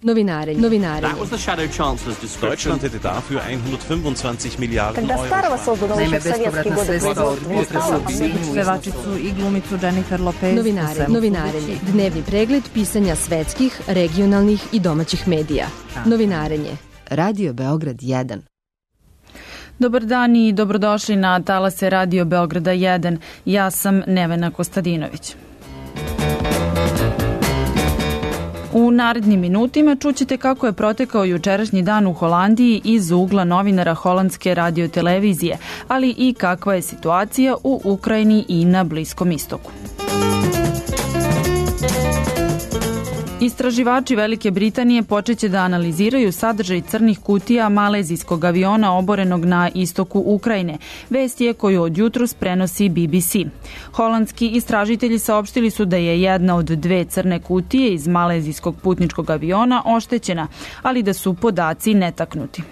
Novinarenje. That was the Shadow Chancellor's description. Deutschland hätte dafür 125 Milijarden Когда старого создано еще в советские годы производства. Pevačicu i glumicu Jennifer Lopez. Novinarenje. Dnevni pregled pisanja svetskih, regionalnih i domaćih medija. Novinarenje. Radio Beograd 1. Dobar dan i dobrodošli na talase Radio Beograda 1. Ja sam Nevena Kostadinović. U narednim minutima čućete kako je protekao jučerašnji dan u Holandiji iz ugla novinara holandske radiotelevizije, ali i kakva je situacija u Ukrajini i na Bliskom istoku. Istraživači Velike Britanije počeće da analiziraju sadržaj crnih kutija malezijskog aviona oborenog na istoku Ukrajine. Vest je koju od jutros prenosi BBC. Holandski istražitelji saopštili su da je jedna od dve crne kutije iz malezijskog putničkog aviona oštećena, ali da su podaci netaknuti.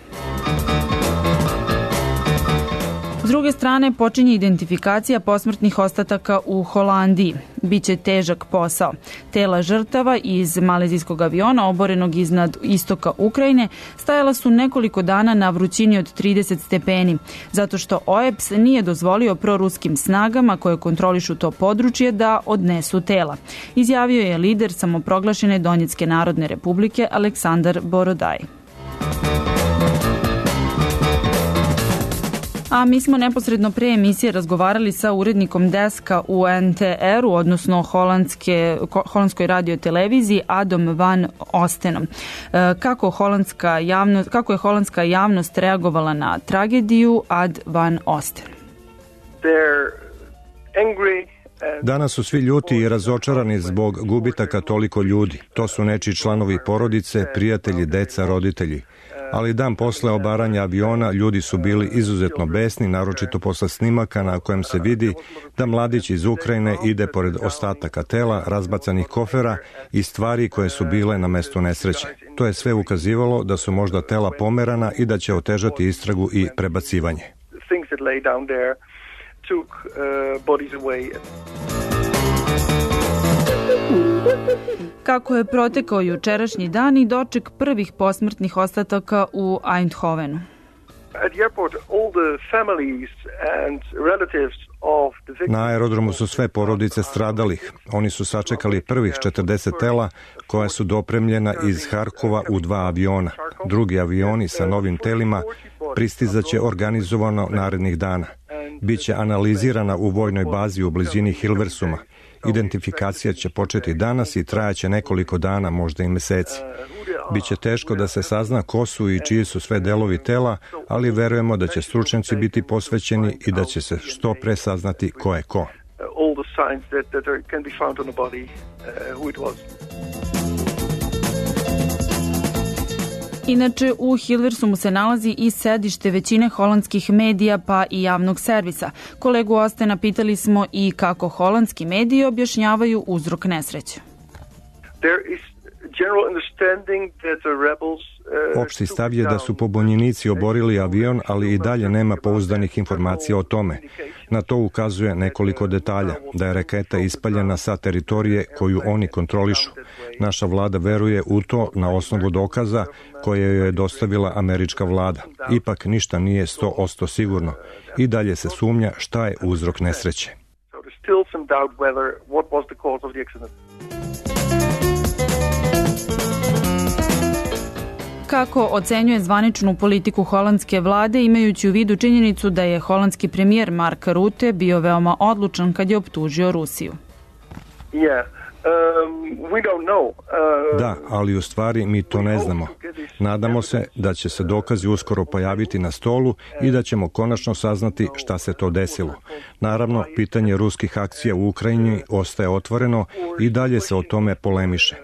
S druge strane, počinje identifikacija posmrtnih ostataka u Holandiji. Biće težak posao. Tela žrtava iz malezijskog aviona oborenog iznad istoka Ukrajine stajala su nekoliko dana na vrućini od 30 stepeni, zato što OEBS nije dozvolio proruskim snagama koje kontrolišu to područje da odnesu tela. Izjavio je lider samoproglašene Donjecke narodne republike Aleksandar Borodaj. A mi smo neposredno pre emisije razgovarali sa urednikom deska u NTR-u, odnosno holandskoj radioteleviziji, Adom van Ostenom. Kako je holandska javnost reagovala na tragediju, Ad van Osten? Danas su svi ljuti i razočarani zbog gubitaka toliko ljudi. To su nečiji članovi porodice, prijatelji, deca, roditelji. Ali dan posle obaranja aviona ljudi su bili izuzetno besni, naročito posle snimaka na kojem se vidi da mladić iz Ukrajine ide pored ostataka tela, razbacanih kofera i stvari koje su bile na mestu nesreće. To je sve ukazivalo da su možda tela pomerana i da će otežati istragu i prebacivanje. Kako je protekao jučerašnji dan i doček prvih posmrtnih ostataka u Eindhovenu? Na aerodromu su sve porodice stradalih. Oni su sačekali prvih 40 tela koja su dopremljena iz Harkova u 2 aviona. Drugi avioni sa novim telima pristizaće organizovano narednih dana. Biće analizirana u vojnoj bazi u blizini Hilversuma. Identifikacija će početi danas i trajaće nekoliko dana, možda i meseci. Biće teško da se sazna ko su i čiji su sve delovi tela, ali verujemo da će stručnjaci biti posvećeni i da će se što pre saznati ko je ko. Inače, u Hilversumu se nalazi i sedište većine holandskih medija pa i javnog servisa. Kolegu Ostena pitali smo i kako holandski mediji objašnjavaju uzrok nesreće. Opšti stav je da su pobunjenici oborili avion, ali i dalje nema pouzdanih informacija o tome. Na to ukazuje nekoliko detalja, da je raketa ispaljena sa teritorije koju oni kontrolišu. Naša vlada veruje u to na osnovu dokaza koje joj je dostavila američka vlada. Ipak ništa nije 100% sigurno. I dalje se sumnja šta je uzrok nesreće. Kako ocenjuje zvaničnu politiku holandske vlade, imajući u vidu činjenicu da je holandski premijer Mark Rutte bio veoma odlučan kad je optužio Rusiju? Da, ali u stvari mi to ne znamo. Nadamo se da će se dokazi uskoro pojaviti na stolu i da ćemo konačno saznati šta se to desilo. Naravno, pitanje ruskih akcija u Ukrajini ostaje otvoreno i dalje se o tome polemiše.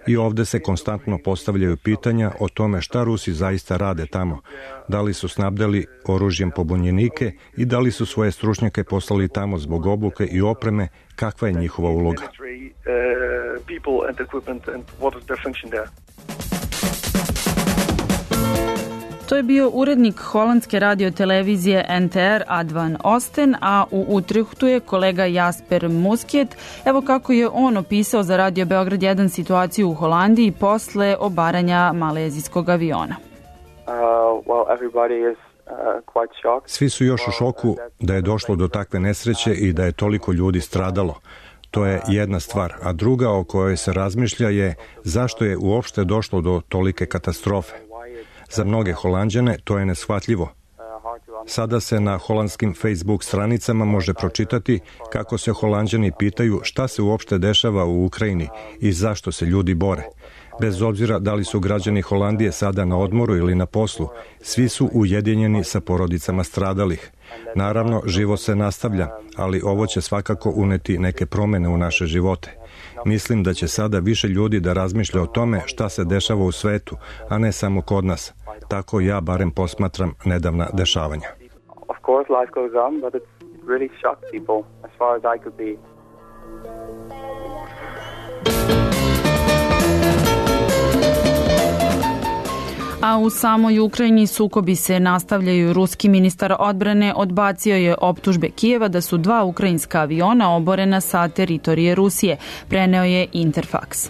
I ovde se konstantno postavljaju pitanja o tome šta Rusi zaista rade tamo. Da li su snabdeli oružjem pobunjenike i da li su svoje stručnjake poslali tamo zbog obuke i opreme, kakva je njihova uloga. To je bio urednik holandske radiotelevizije NTR Advan Osten, a u Utrehtu je kolega Jasper Muskjet. Evo kako je on opisao za Radio Beograd 1 situaciju u Holandiji posle obaranja malezijskog aviona. Svi su još u šoku da je došlo do takve nesreće i da je toliko ljudi stradalo. To je jedna stvar, a druga o kojoj se razmišlja je zašto je uopšte došlo do tolike katastrofe. Za mnoge Holanđane to je neshvatljivo. Sada se na holandskim Facebook stranicama može pročitati kako se Holanđani pitaju šta se uopšte dešava u Ukrajini i zašto se ljudi bore. Bez obzira da li su građani Holandije sada na odmoru ili na poslu, svi su ujedinjeni sa porodicama stradalih. Naravno, život se nastavlja, ali ovo će svakako uneti neke promene u naše živote. Mislim da će sada više ljudi da razmišlja o tome šta se dešava u svetu, a ne samo kod nas. Tako ja barem posmatram nedavna dešavanja. Of course life goes on, but it's really shocked people as far as I could be. A u samoj Ukrajini sukobi se nastavljaju. Ruski ministar odbrane odbacio je optužbe Kijeva da su 2 ukrajinska aviona oborena sa teritorije Rusije, preneo je Interfax.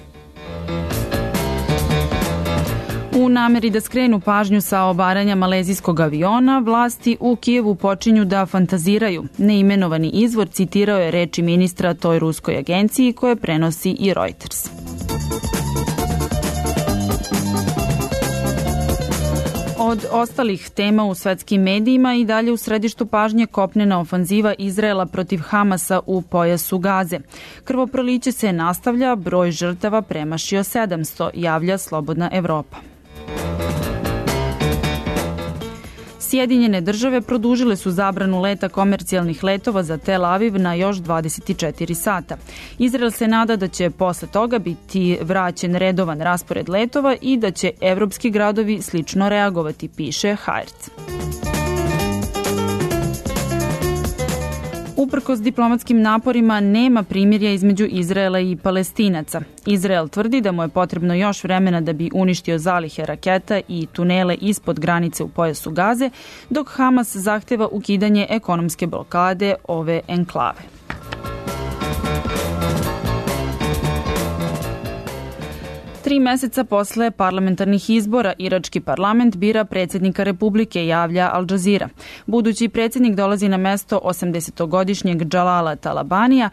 U nameri da skrenu pažnju sa obaranja malezijskog aviona, vlasti u Kijevu počinju da fantaziraju. Neimenovani izvor citirao je reči ministra toj ruskoj agenciji koje prenosi i Reuters. Od ostalih tema u svetskim medijima i dalje u središtu pažnje kopnena ofanziva Izraela protiv Hamasa u pojasu Gaze. Krvoproliće se nastavlja, broj žrtava premašio 700, javlja Slobodna Evropa. Sjedinjene države produžile su zabranu leta komercijalnih letova za Tel Aviv na još 24 sata. Izrael se nada da će posle toga biti vraćen redovan raspored letova i da će evropski gradovi slično reagovati, piše Haaretz. Uprkos diplomatskim naporima nema primirja između Izraela i Palestinaca. Izrael tvrdi da mu je potrebno još vremena da bi uništio zalihe raketa i tunele ispod granice u pojasu Gaze, dok Hamas zahteva ukidanje ekonomske blokade ove enklave. Tri meseca posle parlamentarnih izbora, irački parlament bira predsjednika Republike, javlja Al Jazeera. Budući predsjednik dolazi na mesto 80-godišnjeg Džalala Talabanija,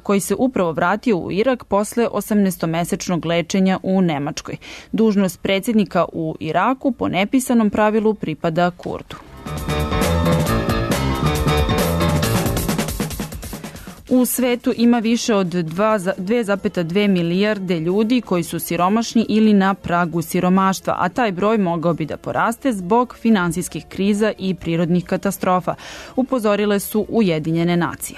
koji se upravo vratio u Irak posle 18-mesečnog lečenja u Nemačkoj. Dužnost predsjednika u Iraku po nepisanom pravilu pripada Kurdu. U svetu ima više od 2,2 milijarde ljudi koji su siromašni ili na pragu siromaštva, a taj broj mogao bi da poraste zbog finansijskih kriza i prirodnih katastrofa, upozorile su Ujedinjene nacije.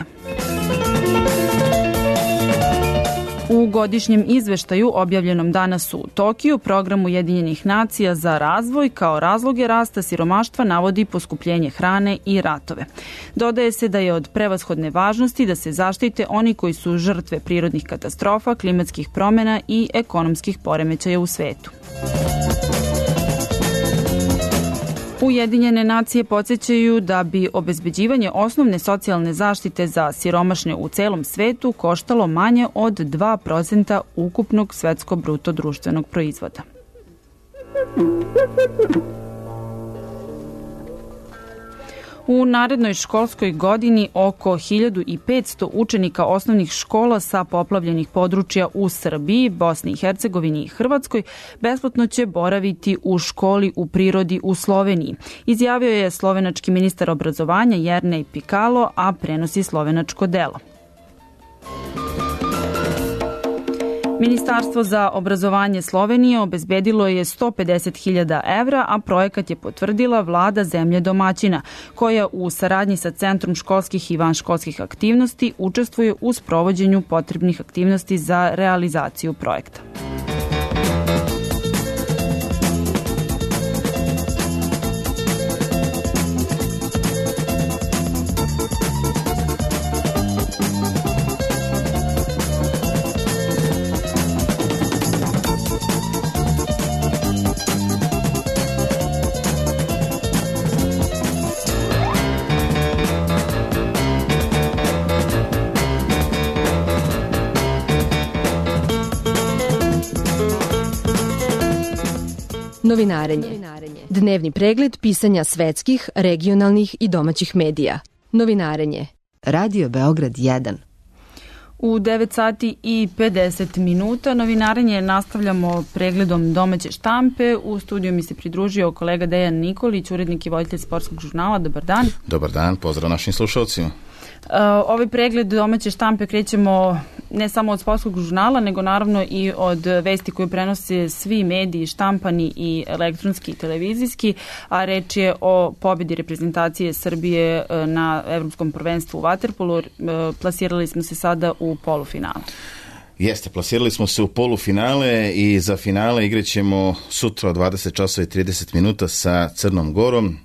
U godišnjem izveštaju objavljenom danas u Tokiju, program Ujedinjenih nacija za razvoj kao razloge rasta siromaštva navodi poskupljenje hrane i ratove. Dodaje se da je od prevashodne važnosti da se zaštite oni koji su žrtve prirodnih katastrofa, klimatskih promjena i ekonomskih poremećaja u svetu. Ujedinjene nacije podsjećaju da bi obezbeđivanje osnovne socijalne zaštite za siromašne u celom svetu koštalo manje od 2% ukupnog svetskog bruto društvenog proizvoda. U narednoj školskoj godini oko 1500 učenika osnovnih škola sa poplavljenih područja u Srbiji, Bosni i Hercegovini i Hrvatskoj besplatno će boraviti u školi u prirodi u Sloveniji. Izjavio je slovenački ministar obrazovanja Jernej Pikalo, a prenosi slovenačko delo. Ministarstvo za obrazovanje Slovenije obezbedilo je 150.000 evra, a projekat je potvrdila vlada zemlje domaćina, koja u saradnji sa Centrom školskih i vanškolskih aktivnosti učestvuje u sprovođenju potrebnih aktivnosti za realizaciju projekta. Novinarenje. Dnevni pregled pisanja svetskih, regionalnih i domaćih medija. Novinarenje. Radio Beograd 1. U 9 sati i 50 minuta novinarenje nastavljamo pregledom domaće štampe. U studiju mi se pridružio kolega Dejan Nikolić, urednik i voditelj sportskog žurnala. Dobar dan. Dobar dan, pozdrav našim slušalcima. Ovaj pregled domaće štampe krećemo ne samo od sportskog žurnala, nego naravno i od vesti koje prenose svi mediji, štampani i elektronski i televizijski, a reč je o pobedi reprezentacije Srbije na Evropskom prvenstvu u vaterpolu. Plasirali smo se sada u polufinale. Jeste, plasirali smo se u polufinale i za finale igraćemo sutra od 20 časova i 30 minuta sa Crnom Gorom.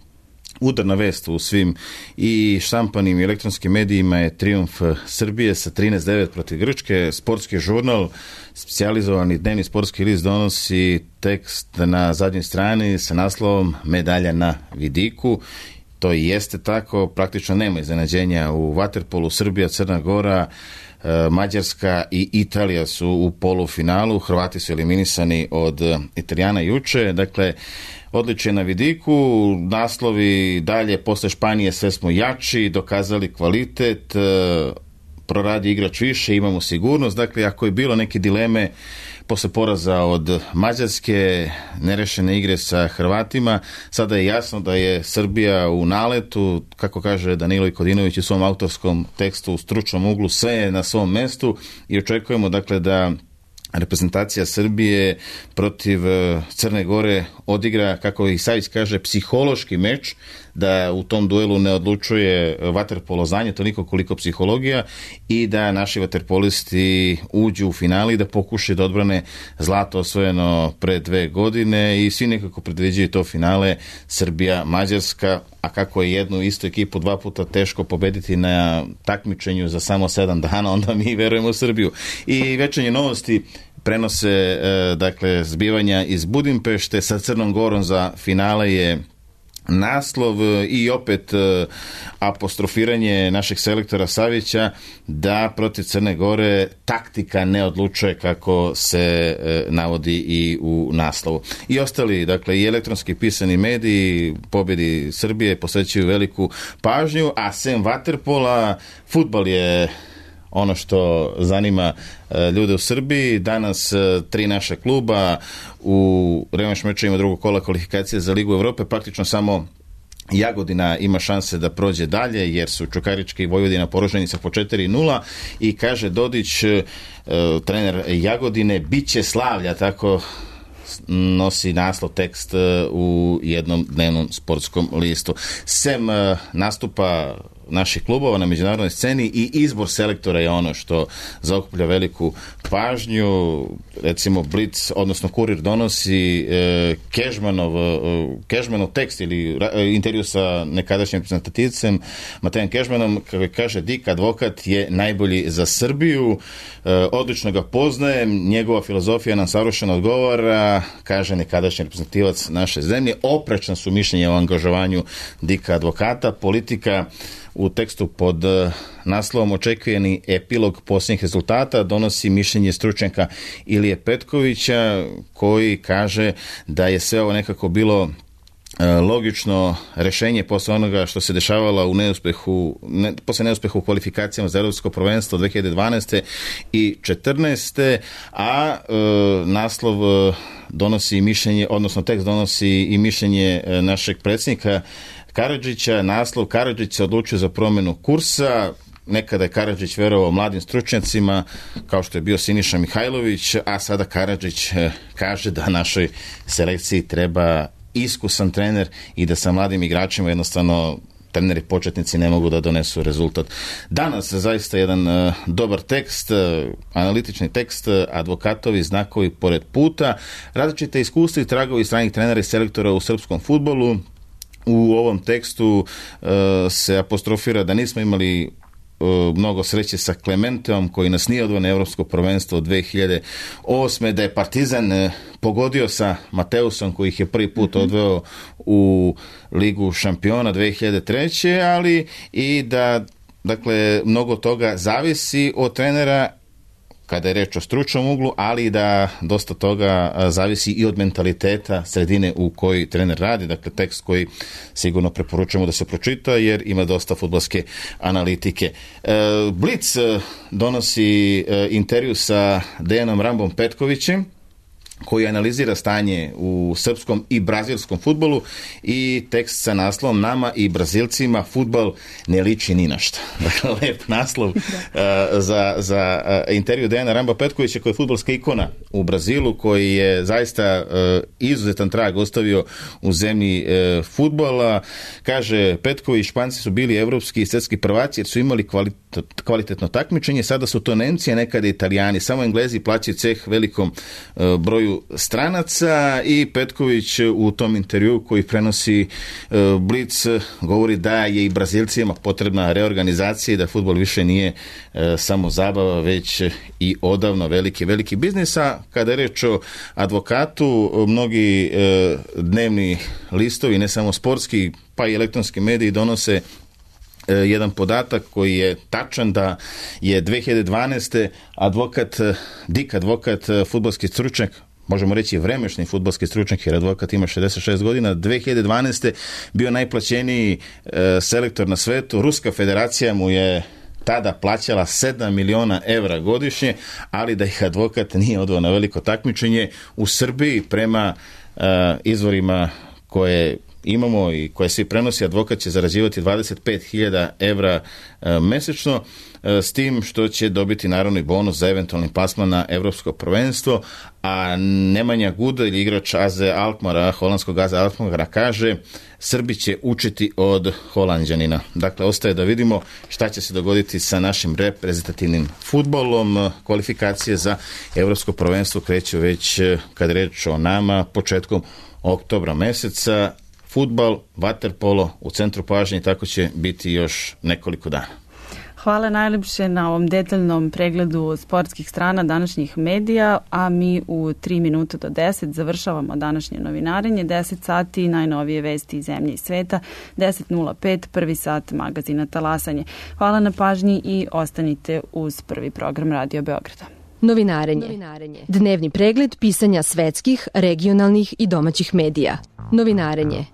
Udarna vest u svim i štampanim i elektronskim medijima je trijumf Srbije sa 13-9 protiv Grčke. Sportski žurnal, specijalizovani dnevni sportski list, donosi tekst na zadnjoj strani sa naslovom Medalja na vidiku. To i jeste tako, praktično nema iznenađenja u vaterpolu. Srbija, Crna Gora, Mađarska i Italija su u polufinalu. Hrvati su eliminisani od Italijana juče. Dakle, odličje na vidiku, naslovi dalje, posle Španije sve smo jači, dokazali kvalitet, proradi igrač više, imamo sigurnost. Dakle, ako je bilo neke dileme posle poraza od Mađarske, nerešene igre sa Hrvatima, sada je jasno da je Srbija u naletu, kako kaže Danilo Kodinović u svom autorskom tekstu u stručnom uglu, sve je na svom mestu i očekujemo dakle da reprezentacija Srbije protiv Crne Gore odigra, kako i Savić kaže, psihološki meč, da u tom duelu ne odlučuje vaterpolo znanje toliko koliko psihologija i da naši vaterpolisti uđu u finali i da pokušaju da odbrane zlato osvojeno pre 2 godine i svi nekako predviđaju to finale Srbija-Mađarska, a kako je jednu istu ekipu 2 puta teško pobediti na takmičenju za samo 7 dana, onda mi verujemo u Srbiju. I večernje novosti prenose dakle zbivanja iz Budimpešte sa Crnom Gorom. Za finale je naslov i opet apostrofiranje našeg selektora Savića da protiv Crne Gore taktika ne odlučuje, kako se navodi i u naslovu. I ostali, dakle, i elektronski pisani mediji pobjedi Srbije posvećuju veliku pažnju, a sem vaterpola, fudbal je ono što zanima ljude u Srbiji. Danas 3 naša kluba u revanš mečevima drugog kola kvalifikacije za Ligu Evrope. Praktično samo Jagodina ima šanse da prođe dalje, jer su Čukarički i Vojvodina poraženi sa po 4-0 i kaže Dodić, trener Jagodine, bit će slavlja, tako nosi naslov tekst u jednom dnevnom sportskom listu. Sem nastupa naših klubova na međunarodnoj sceni i izbor selektora je ono što zaokuplja veliku pažnju. Recimo Blitz, odnosno Kurir, donosi Kežmanov tekst ili intervju sa nekadašnjim reprezentativcem Matejem Kežmanom, kako kaže, Dik advokat je najbolji za Srbiju, odlično ga poznajem, njegova filozofija nam savršeno odgovara, kaže nekadašnji reprezentativac naše zemlje. Oprečna su mišljenja o angažovanju Dika advokata. Politika u tekstu pod naslovom Očekivani epilog posljednjih rezultata donosi mišljenje stručnjaka Ilije Petkovića, koji kaže da je sve ovo nekako bilo logično rešenje posle onoga što se dešavalo posle neuspehu u kvalifikacijama za Evropsko prvenstvo 2012. i 2014. A naslov donosi mišljenje, odnosno tekst donosi i mišljenje našeg predsjednika Karadžića. Naslov: Karadžić se odlučio za promjenu kursa. Nekada je Karadžić verovao mladim stručnjacima, kao što je bio Siniša Mihajlović, a sada Karadžić kaže da našoj selekciji treba iskusan trener i da sa mladim igračima jednostavno treneri početnici ne mogu da donesu rezultat. Danas zaista jedan dobar tekst, analitični tekst, advokatovi znakovi pored puta, različite iskustva i tragovi stranih trenera i selektora u srpskom fudbalu. U ovom tekstu se apostrofira da nismo imali mnogo sreće sa Klementeom, koji nas nije odveo na Evropsko prvenstvo 2008. Da je Partizan pogodio sa Mateusom, koji ih je prvi put odveo u Ligu šampiona 2003. Ali i da, dakle, mnogo toga zavisi od trenera kada je reč o stručnom uglu, ali i da dosta toga zavisi i od mentaliteta sredine u kojoj trener radi. Dakle, tekst koji sigurno preporučujemo da se pročita jer ima dosta fudbalske analitike. Blic donosi intervju sa Dejanom Rambom Petkovićem, koji analizira stanje u srpskom i brazilskom fudbalu i tekst sa naslovom "Nama i Brazilcima fudbal ne liči ni na šta". Dakle, lep naslov za intervju Dejana Ramba Petkovića, koji je fudbalska ikona u Brazilu, koji je zaista izuzetan trag ostavio u zemlji fudbala. Kaže Petković, Španci su bili evropski i svjetski prvaci jer su imali kvalitetno takmičenje, sada su to Nemci, a nekada Italijani. Samo Englezi plaćaju ceh velikom broju stranaca. I Petković u tom intervju koji prenosi Blic govori da je i Brazilcima potrebna reorganizacija i da fudbal više nije samo zabava, već i odavno veliki biznis. A kada je reč o advokatu, mnogi dnevni listovi, ne samo sportski, pa i elektronski mediji donose jedan podatak koji je tačan, da je 2012. advokat, fudbalski stručnjak, možemo reći vremešni fudbalski stručnjak jer advokat ima 66 godina, 2012. bio najplaćeniji selektor na svetu. Ruska federacija mu je tada plaćala 7 miliona evra godišnje, ali da ih advokat nije odveo na veliko takmičenje. U Srbiji, prema izvorima koje imamo i koje svi prenosi, advokat će zarađivati 25.000 evra mesečno, s tim što će dobiti naravno i bonus za eventualni plasman na evropsko prvenstvo. A Nemanja Gudelj, igrač AZ Alkmaara, holandskog AZ Alkmaara, kaže: Srbi će učiti od Holanđanina. Dakle, ostaje da vidimo šta će se dogoditi sa našim reprezentativnim fudbalom. Kvalifikacije za evropsko prvenstvo kreću već, kad reč o nama, početkom oktobra meseca. Fudbal, vaterpolo u centru pažnje, tako će biti još nekoliko dana. Hvala najljepše na ovom detaljnom pregledu sportskih strana današnjih medija, a mi u 3 minuta do 10 završavamo današnje novinarenje. 10 sati najnovije vesti iz zemlje i sveta, 10.05 prvi sat magazina Talasanje. Hvala na pažnji i ostanite uz prvi program Radio Beograda. Novinarenje. Dnevni pregled pisanja svetskih, regionalnih i domaćih medija. Novinarenje.